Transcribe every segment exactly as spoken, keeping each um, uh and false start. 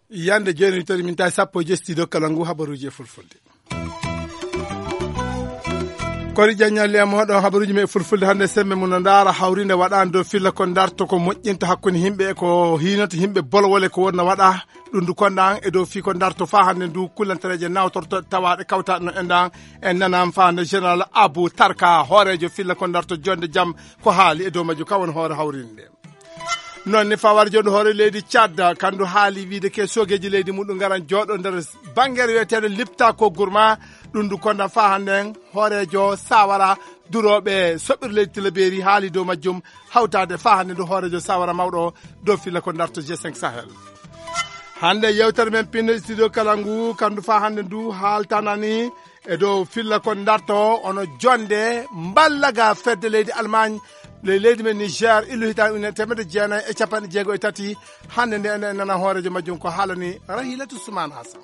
Yande jooni tati min tawi sappo e jeetati studio kala ngu habaruuji e fulfulde. Kori ƴaññalle am hoɗo habaruuji men e fulfulde hannde, sembe mum no ndaara hawrinde waɗaande dow filla ko ndarto ko moƴƴinta hakkunde yimɓe e ko hiinata yimɓe bolowole ko wonno waɗa. Ɗum ndu konda an e dow fii ko ndarto faa hannde ndu kullantareeje nawtorto tawaaɗe kawtaaɗe no endan en nanam faa hannde général Abou Tarka hooreejo filla ko ndarto jonde jam ko haali e dow majju ka won hoore hawrinde. Noon ne fawar jonde hoore leydi Tchad kandu haali wiide ke soogeeji leydi muɗum ngaran jooɗo nder bangere wiyeteeɗo lipta ko gourma. Ɗum ndu konda faa hannde en hooreejo sawara durooɓe soɓɓir leydi tilaberi haali dow majjum hawtaade faa hannde ndu hooreejo sawara mawɗo dow filla ko ndarto g cinq sahel. Hannde yewtere men pinno studio kala ngu kandu faa hannde ndu haaltanani e dow filla ko ndarto ono jonde mballaga fedde leydi Allemagne le leydi men Niger illu hitaande ujunere teemedde jeenayi e capanɗe jeego e tati. Hannde nde enen nana hooreejo majjum ko haalani Rahilatu Suman Hassan.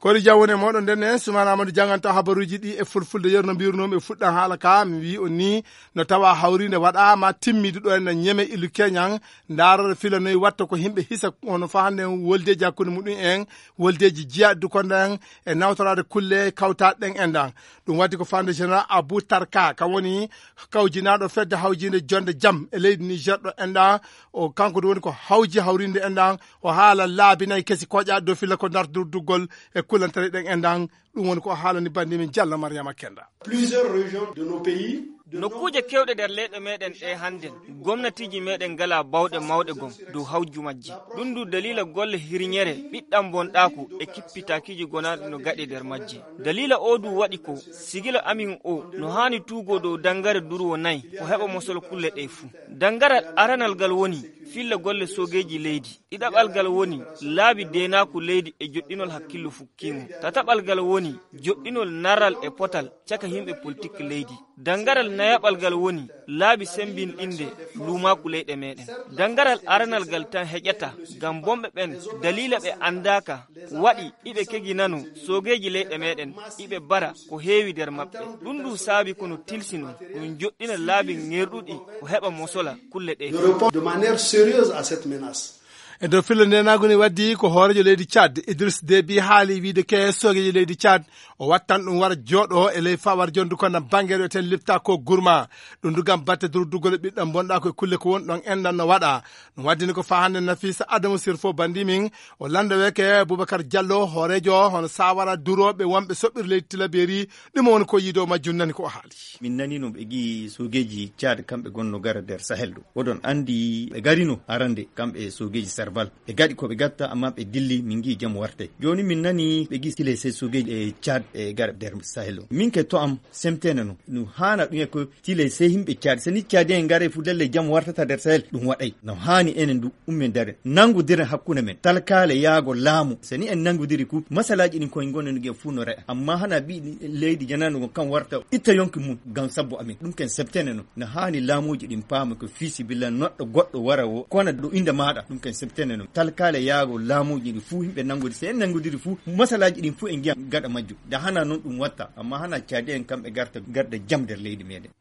Kori jam woni e moɗon ndenne Suman Amadou janganta habaruuji ɗi e fulfulde yerno mbirunoomi e fuɗɗan haala ka mi wi on ni no tawa hawrinde waɗaama timmiiɗo ɗo en ñeme illu keñan. Ndaarore filanoyi watta ko yimɓe hisa hono faa hannde woldeeji hakkunde muɗum en woldeeji jiya dukonda en e nawtoraade kulle kawtaaɗe ɗen endan. Ɗum waɗi ko fande général Abou Tarka ka woni kawjinaaɗo fedde hawjinde jonde jam e leydi Niger ɗo endan. O kanko ɗum woni ko hawji hawrinde endan o haala laabi nayi kesi koƴa dow filla ko ndarduggol e kullantere ɗen endan. Ɗum woni ko haalani bandi min Jalla Mariama Kenda. Plusieurs régions de nos pays. Nokkuuje kewɗe nder leyɗe meɗen ɗe hannden gomnatiiji meɗen ngala bawɗe mawɗe gom dow hawju majji. Ɗum ndu dalila golle hirñere ɓiɗɗam bonɗaaku e kippitakiiji gonaaɗi no gaɗe nder majji. Dalila o du waɗi ko sigila amin o no haani tuugo dow dangare durwo nayi o heɓa mosol kulle ɗe fuu. Dangaral aranal ngal woni filla golle soogeeji leydi. Ɗiɗaɓal ngal woni laabi deenaaku leydi e joɗɗinol hakkillo fukkiimo. Tataɓal ngal woni joɗɗinol naral e potal caka yimɓe politik leydi. Dangaral nayaɓal ngal woni laabi sembinɗinde luumaaku leyɗe meɗen. Dangaral aranal ngal tan heƴata ngam bomɓe ɓen daliila ɓe anndaaka waɗi iɓe keginano soogeeji leyɗe meɗen iɓe bara ko heewi nder maɓɓe. Ɗum ndu saabi kono tilsino ɗum joɗɗina laabi ŋerɗuɗi o heɓa mosola kulle ɗe. De répondre de manière sérieuse à cette menace. E dow filla ndenaagu ne waddi ko hooreejo leydi Tchad Idriss Déby haali wiide ke soogeeji leydi Tchad o wattan ɗum wara jooɗo e ley fawar jondu kono bangere ten lipta ko gurma. Ɗum dugam batte durduggol e ɓiɗɗam bonɗa ko e kulle ko won ɗon enɗan no waɗa. Ɗum waddini ko faa hannde Nafisa Adamu Sirfo bandi min o landa weke Boubacar Diallo hooreejo hono sawara durooɓe wonɓe soɓɓir leydi Tilaberi. Ɗum woni ko yiido majjum nani ko o haali. Min nani no ɓe gi soogeeji Tchad kamɓe gonno gara nder Sahel ɗo. Oɗon anndi ɓe garino arande kamɓe soogeeji Serval. Ɓe gaɗi ko ɓe gatta amma ɓe dilli min gi jam warte. Jooni min nani ɓe gi sile se soogeeji e Tchad e gara nder Sahel ɗo. Min ke to am semtene no. No haana ɗum e ko sile se yimɓe Tchad. Se ni Tchad en gare fu dalle jam wartata nder Sahel ɗum waɗay. No haani enen du ummen dare. Nangodire hakkunde men. Talkaale yaago laamu. Se ni en nangodiri ku masalaaji ɗin koye gonen gen fu no re'a. Amma hana ɓi leydi janano kam warta itta yonki mum ngam sabbu amin. Ɗum ken septene no. No haani laamuuji ɗin paama ko fii sibilla noɗɗo goɗɗo wara o kona ɗo innde maaɗa. Ɗum ken septene no. Talkaale yaago laamuuji ɗin fu yimɓe nangodi. Se en nangodiri fu masalaaji ɗin fu en ngiya gaɗa majjum. Da hana non ɗum watta. Amma hana caadi en kamɓe garta garda jam nder leydi meɗen.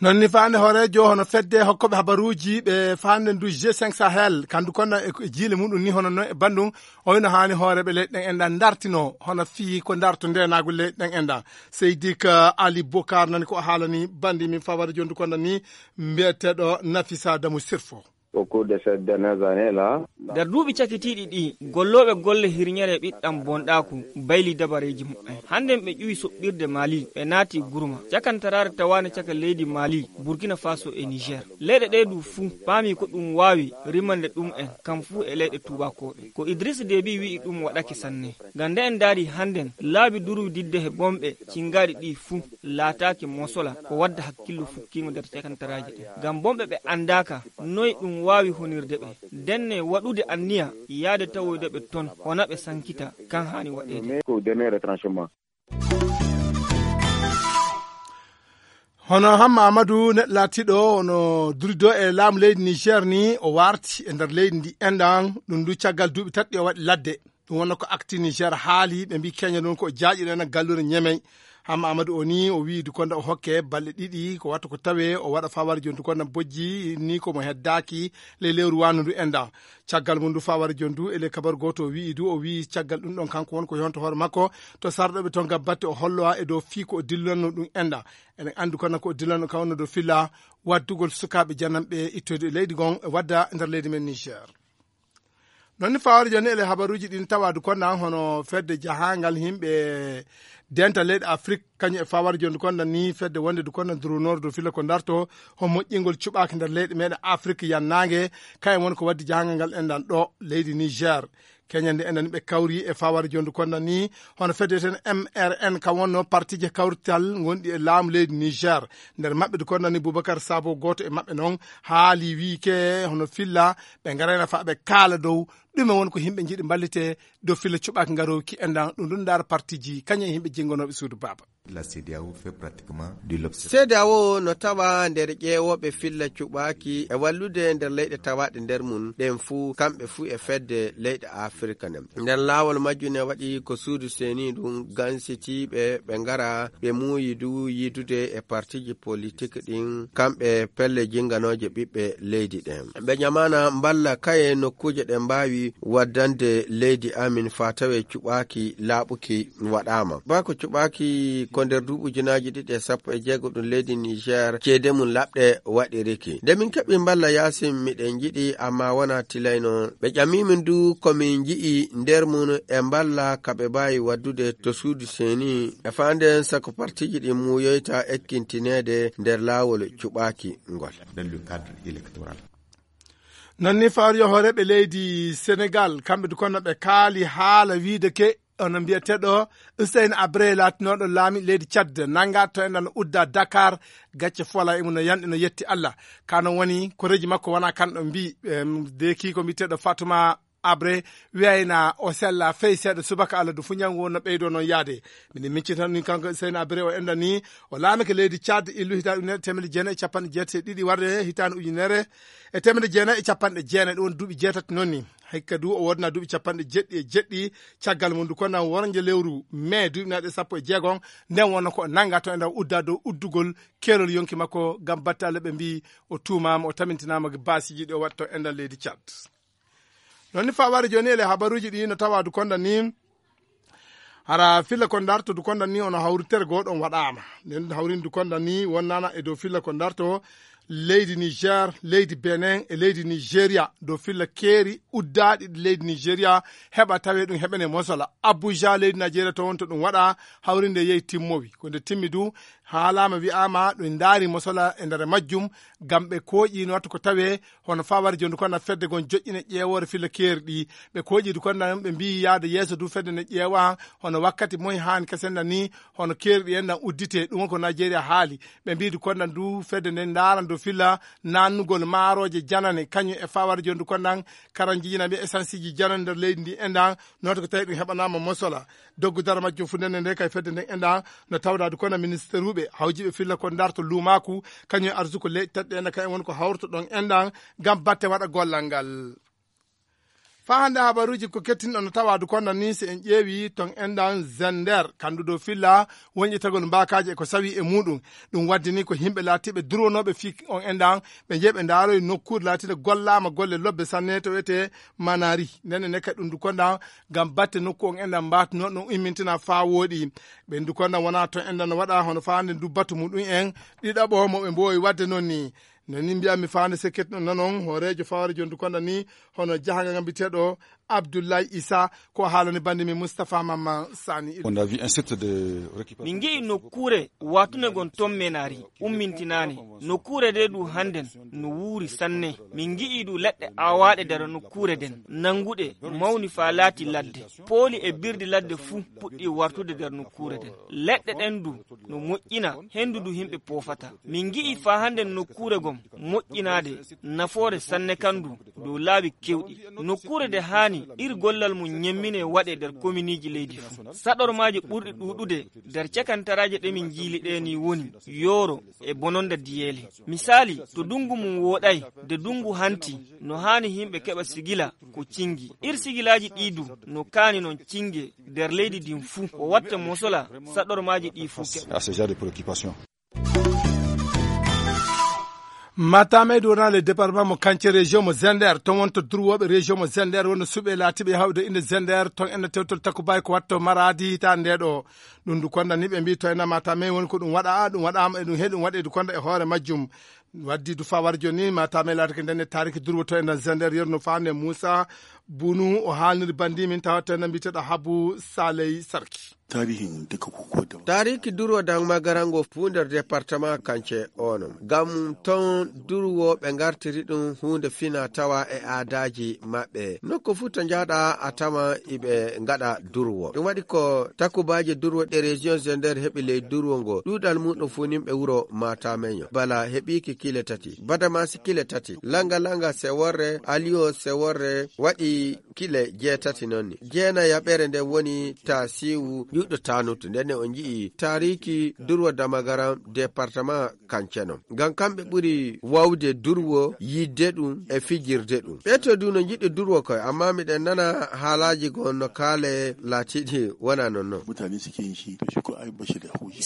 Noon ni faande hooreejo hono fedde hokkooɓe habaruuji ɓe faande ndu g cinq Sahel kandu kono e jiile muɗum ni hono noon e banndum. Oyno haani hooreeɓe leyɗe ɗen enɗan dartino hono fii ko darto ndenaagu leyɗe ɗen enɗan. Seydi ka Ali Bokar nani ko haalani banndi min fawade jondu konda ni mbiyeteeɗo Nafisa Damu Sirfo. Au cours de ces dernières années là. Nder duuɓi cakitiiɗi ɗi gollooɓe golle hirñere ɓiɗɗam bonɗaaku bayli dabareeji mumen. Hannden ɓe ƴuwi soɓɓirde Mali ɓe naati gurma cakantaraare tawaande caka leydi Mali, Burkina Faso e Niger. Leyɗe ɗee du fuu paami ko ɗum waawi rimande ɗum en kam fuu e leyɗe tuubakooɓe. Ko Idriss Déby wi'i ɗum waɗake sanne. Ngam nde en ndaari hannden laabi durwididde he bomɓe cingaaɗi ɗi fuu laataaki mosola ko wadda hakkillo fukkiingo nder cakantaraaji ɗin. Ngam bomɓe ɓe anndaaka noy ɗum waawi honirde ɓe. Ndenne waɗude anniya yaade tawoyde ɓe ton hona ɓe sankita kan haani waɗeede. Hono Hamma Amadou neɗɗo laatiiɗo ono durido e laamu leydi Niger ni o warti e nder leydi ndi enɗan ɗum du caggal duuɓi tati ɗi o waɗi ladde. Ɗum wonno ko Actu Niger haali, ɓe mbi Kenya noon ko o jaaƴiɗo en e galluure Ñemey. Hamma Amadou o ni o wii Dukonda o hokke balɗe ɗiɗi, ko watta ko tawe o waɗa fawar joni Dukonda bojji ni ko mo heddaaki ley lewru wano ndu enda. Caggal mum ndu fawar joni ndu e ley kabaru gooto o wii du, o wii caggal ɗum ɗon kanko won ko yonto hoore makko to sarɗoɓe toon ngam batte o hollowa e dow fii ko o dillanno ɗum enda. Eɗen anndi kono ko o dillanno kawno dow filla waddugol sukaaɓe jananɓe ittoyde e leydi ngon e wadda e nder leydi men Niger. Noon ni fawar joni ele habaruuji ɗin tawa Dukonda hono fedde jahangal yimɓe denta leyɗe Afrik, kañum e fawar joni Dukonda ni fedde wonde Dukonda durunor dow filla ko darto ho moƴƴingol cuɓaaki nder leyɗe meɗen Afrik yannaange. Kayen woni ko waddi jahangal ngal enɗan ɗo leydi Niger. Keñande enɗan ɓe kawri e fawar joni Dukonda ni hono fedde ten M R N ka wonno partije kawrital gonɗi e laamu leydi Niger. Nder maɓɓe Dukonda ni Boubacar Sabo gooto e maɓɓe noon haali wii ke hono filla ɓe ngarayna fa ɓe kaala dow ɗume woni ko yimɓe njiɗi mballite dow filla cuɓaaki ngarowki enɗan ɗum ɗum ndaara partiji kañum e yimɓe jenngonooɓe suudu baaba. La CEDEAO fait pratiquement du l'observation. CEDEAO no tawa nder ƴeewooɓe filla cuɓaaki e wallude nder leyɗe tawaaɗe nder mum ɗen fuu, kamɓe fuu e fedde leyɗe Afirka nden. Nder laawol majjum ne waɗi ko suudu seni ɗum gansitiiɓe ɓe ngara ɓe muuyi du yiidude e partiji politik ɗin, kamɓe pelle jinganooje ɓiɓɓe leydi ɗen. Ɓe ɲamaana mballa kaye nokkuuje ɗe mbaawi waddande leydi amin faa tawee cuɓaaki laaɓuki waɗaama. Baa ko cuɓaaki ko nder duuɓi ujunaaji ɗiɗi e sappo e jeego ɗum leydi Niger ceede mum laɓɗe waɗiriki. Nde min keɓi mballa yaasin miɗen njiɗi, ammaa wonaa tilayno. Ɓe ƴamii min du ko min nji'i nder mum e mballa ka ɓe mbaawi waddude to suudu seni e faanden sako partiji ɗin muuyoyta ekkintineede nder laawol cuɓaaki ngol. Dans le cadre électoral. Non ni fawriyo hooreeɓe leydi Senegal, kamɓe du kono ɓe kaali haala wiide ke ono mbiyeteeɗo Hussein Abre laatinooɗo laami leydi Tchad nannga to enɗan udda Dakar, gacce fola e mum no yanɗi no yetti Allah. Ka non woni koreeji makko wona kanɗo mbi, em, de kiiko mbiyeteeɗo Fatuma Abre wiyayna o sella fey seeɗa subaka Allah du fu ñawngu wonno ɓeydo noon yaade. Minen miccita ni kanko Hussein Abre o enɗan ni o laamike leydi Tchad illu hitaande ujunere teemedde jeenayi e capanɗe jeetati e ɗiɗi warde hitaande ujunere e teemedde jeenayi e capanɗe jeenayi, ɗum woni duuɓi jeetati noon ni. Hikka du o wodna duuɓi capanɗe jeɗɗi e jeɗɗi caggal mum du kono wornje lewru mai duuɓi naɗe sappo e jeegom nden wonno ko o nannga to e nder udda dow uddugol keerol yonki makko ngam batte Allah ɓe mbi o tuumaama o tamintinaama baasiji ɗi o waɗi to enɗan leydi Tchad. Non ni fawari joni ele habaruji ɗi no tawa du konda ni hara filla ko darto du konda ni ono hawritere goo ɗon waɗaama. Nden hawrin du konda ni wonnana e dow filla ko darto leydi Niger, leydi Benin e leydi Nigeria dow filla keeri uddaaɗi ɗi leydi Nigeria heɓa tawe ɗum heɓene mosola. Abuja leydi Nigeria to wonto ɗum waɗa hawrinde yehi timmowi. Ko nde timmi du haalaama wi'aama ɗum ndaari mosola e nder majjum ngam ɓe kooƴi no wattu ko tawe hono fawari joni kono fedde gon joƴƴine ƴeewoore filla keeri ɗi. Ɓe kooƴi du kono ɓe mbiyi yaade yeeso du fedde ne ƴeewa hono wakkati moy haani kasen na ni hono keeri ɗi en nan uddite ɗum ko Nigeria haali. Ɓe mbiyi du kono du fedde nde ndaaran du filla nannugol maarooje janane kañum e fawari joni du kono karan jijina ɓe essence ji janane nder leydi ndi enɗan noto ko tawi ɗum heɓanaama mosola. Doggu dara majjum fu ndenne nde kay fedde nden enɗan no tawdaade kono ministeruɓe hawjiɓe filla ko darto luumaku kañum e arsuko leyɗe taɗɗe enɗan kay woni ko hawrto ɗon enɗan ngam batte waɗa gollal ngal. Faa hannde habaruuji ko kettinɗo no tawaadu konda ni si en ƴeewi ton enɗan Zender kandu dow filla wonƴetagol mbaakaaji e ko sawi e muɗum. Ɗum waddi ni ko yimɓe laatiiɓe durwonooɓe fii on enɗan ɓe njehi ɓe ndaaroyi nokkuure laatiinde gollaama golle lobbe sanne to wiyetee Manari. Ndenne ne kadi ɗum du konda ngam batte nokku on enɗan mbaatuno ɗum immintina faa wooɗi. Ɓen du konda wonaa ton enɗan no waɗa hono faa hannde du batu muɗum en ɗiɗaɓo mo ɓe mboowi waɗde noon ni. No ni mbiyatmi faa hannde sekket no nanon hooreejo fawari joni du konda ni hono jahangal ngam biteeɗo Abdoulaye Issa ko haalani bannde min Moustapha Mamman Sani. On a vu un site de récupération. Min ngi'i nokkuure watunde gon ton Menari ummintinaane. Nokkuure nde du hannden no wuuri sanne. Min ngi'i du leɗɗe aawaaɗe nder nokkuure nden, nannguɗe mawni faa laati ladde. Pooli e birdi ladde fuu puɗɗi wartude nder nokkuure nden. Leɗɗe ɗen du no moƴƴina, henndu du yimɓe poofata. Min ngi'i faa hannden nokkuure gon moƴƴinaade, nafoore sanne kan du dow laabi kewɗi. Nokkuure nde haani Ir gollal mum ñemmine waɗe nder kominiiji leydi fuu. Saɗormaaji ɓurɗi ɗuuɗude nder cakantaraaji ɗe min njiili ɗe ni woni yooro e bononda diyeele. Misaali, to dunngu mum wooɗay, de dunngu hanti, no haani yimɓe keɓa sigila ko cingi. Ir sigilaaji ɗi du no kaani non cinge nder leydi ndin fuu. O watta mosola saɗormaaji ɗi fuu keɓa. Matamey du wona le département mo Kance région mo Zender, ton wonto durwooɓe région mo Zender wonno suɓe laatiɓe hawde inde Zender, ton enna tewtol takko bay ko watto maraadi hitaande nde ɗo. Ɗum du konda ni ɓe mbi to enna Matamey woni ko ɗum waɗa, ɗum waɗaama e ɗum he ɗum waɗe du konda e hoore majjum. Waddi du fa war joni Matamey laatake ndenne taariki durwo to enna Zender yerno faande Moussa Bunu o haalniri bandi min tawa to enna mbiteɗo Habu Saley Sarki. Tarihin duka kukuwa da. Taariki durwo dan magarango fuu nder département Kance ono. Ngam ton durwo ɓe ngartiri ɗum huunde fina tawa e aadaaji maɓɓe. Nokku fuu to njahɗa a tawan iɓe ngaɗa durwo. Ɗum waɗi ko takubaaje durwo ɗe région Zender heɓi ley durwo ngo. Ɗuuɗal muɗum fuu nimɓe wuro Matamenyo. Bala heɓiiki kile tati. Badamasi kile tati. Langa langa seworre, aliyo seworre, waɗi kile jeetati noon ni. Jeenayaɓere nden woni Tasiwu Ƴuɗɗo Tanutu. Nden ne on nji'i taariki durwo Damagaram département Kanceno. Ngam kamɓe ɓuri wawde durwo, yidde ɗum e fijirde ɗum. Ɓe to du no njiɗi durwo koy, amma miɗen nana haalaaji goo no kaale laatiiɗi wona non non. Mutane suke yin shi, to shi ko ai bashi da haushi.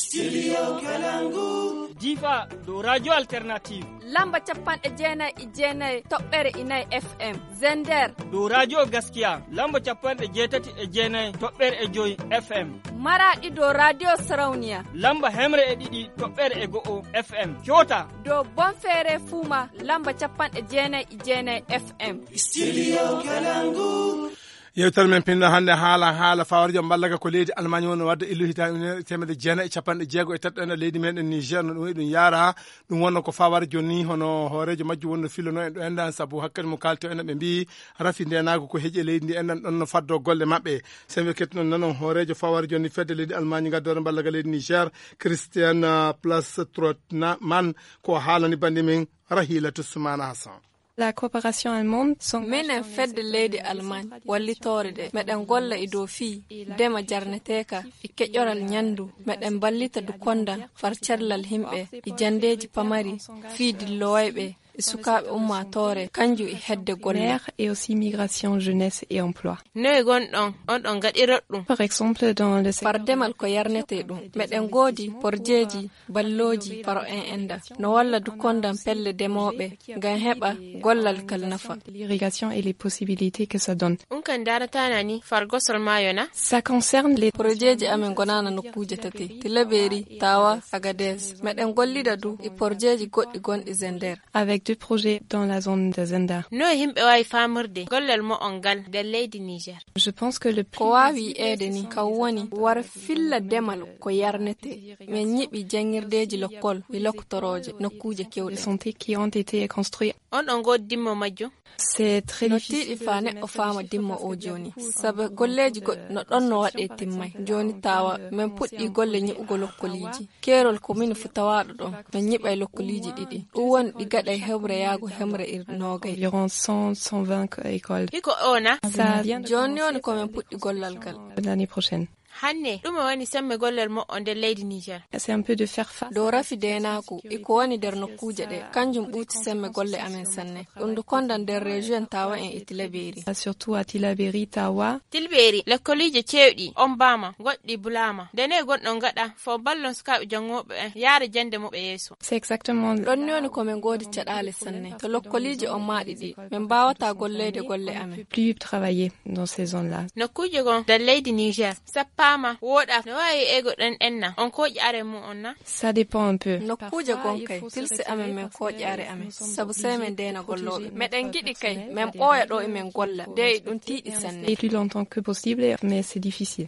Difa dow Radio Alternative. Lamba capanɗe jeenayi e jeenayi toɓɓere inayi F M. Zender. Dow Radio Gaskiya, lamba capanɗe jeetati e jeenayi toɓɓere e joyi F M. Maraɗi dow Radio Sarauniya. Lamba hemre e ɗiɗi toɓɓere e go'o F M. Coota. Dow Bonfere Fuma, lamba capanɗe jeenayi e jeenayi F M. Studio Kalangu. Yewtere men pinno hannde haala, haala fawarjo mballaga ko leydi Allemagne woni wadde illu hitaande ujunere e teemedde jeenayi e capanɗe jeego e tati ɗo e leydi meɗen Niger, no ɗum wayi ɗum yaara. Ɗum wonno ko fawar joni, hono hooreejo majjum wonno fillono en ɗo enɗan, sabu hakkadi mo kaalto en ɓe mbiyi rafi ndenaagu ko heƴi e leydi ndi enɗan ɗon no faddo golle maɓɓe. Sen ɓe kettuno nanon hooreejo fawar joni fedde leydi Allemagne ngaddoore mballaga leydi Niger, Christian, uh, Plastrotman, ko haalani bandi min Rahila Toussoumana Hassan. La coopération allemande, minen fedde leydi Allemagne wallitoore de, meɗen golla e dow fii ndema jarneteeka e keƴoral ñanndu, meɗen mballita du konda far cellal yimɓe e janndeeji pamari fii dillowayɓe e sukaaɓe ummaatoore, kanjum e hedde golle. Maire et aussi migration, jeunesse et emploi. Noye gonɗon, on ɗon gaɗirot ɗum? Par exemple, dans le secteur. Far demal ko yarnetee ɗum. Meɗen ngoodi porjeeji ballooji faro en enda no walla du kondan pelle demooɓe ngam heɓa gollal kal nafa. L'irrigation et les possibilités que ça donne. Un kan darata nani fargosol mayo na? Ça concerne les. Projeeji amen gonana nokkuuje tati, Tilaberi, Tawa, Agadez. Meɗen gollida du e porjeeji goɗɗi gonɗi Zender. Avec deux projets dans la zone de Zender. No himɓe wawi famirde gollal mo on ngal nder leydi Niger? Je pense que le plus. Ko waawi wiyeede ni, kam woni war filla demal ko yarnetee. Min ñiɓi janngirdeeji lokkol e loktorooje nokkuuje keewɗe. Santé qui ont été construits. On ɗon ngoodi dimmo majjum? C'est très difficile. No tiiɗi faa neɗɗo faama dimmo o jooni. Sabu golleeji goɗɗi no ɗon no waɗee timmay. Jooni tawa min puɗɗii golle ñiɓugol lokkoliiji. Keerol ko min fu tawaaɗo ɗon. Min ñiɓay lokkoliiji ɗiɗi. Ɗum woni ɗi gaɗay hemre yaago hemre e noogay. Environ cent, cent vingt écoles. Hiko o na? Ça vient de commencer. Jooni woni ko min puɗɗi gollal ngal. L'année prochaine. Hanne, ɗume woni semme gollal mo'o nder leydi Niger? C'est un peu de faire face. Dow rafi deenaaku, e ko woni nder nokkuuje ɗe, kanjum ɓuuti semme golle amen sanne. Ɗum ndu konda nder région Tawa en e Tilaberi. Surtout à Tilaberi, Tawa. Tilberi, lekkoliije ceewɗi, on baama, goɗɗi bulaama. Nde ne gonɗon gaɗa, fo ballon sukaaɓe janngooɓe en, yaara jannde muɓe yeeso. C'est exactement. Ɗon ni woni ko min ngoodi caɗaale sanne. To lokkoliije on maaɗi ɗi, min mbaawataa golleede golle amen. Plus travailler dans ces zones-là. Nokkuuje gon nder leydi Niger, sappaama, wooɗa, no waawi ego ɗon enna, on kooƴi are mum on na? Ça dépend un peu. Nokkuuje gon kay, tilsi amen min kooƴi are amen, sabu sey min ndeena gollooɓe. Meɗen ngiɗi kay, min ɓooya ɗo e min golla, de e ɗum tiiɗi sanne. Et plus longtemps que possible, mais c'est difficile.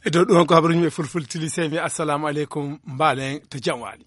E dow ɗum ko habaruji men fulfulde tili, sey mi assalamu aleykum, mbaalen to jam waali.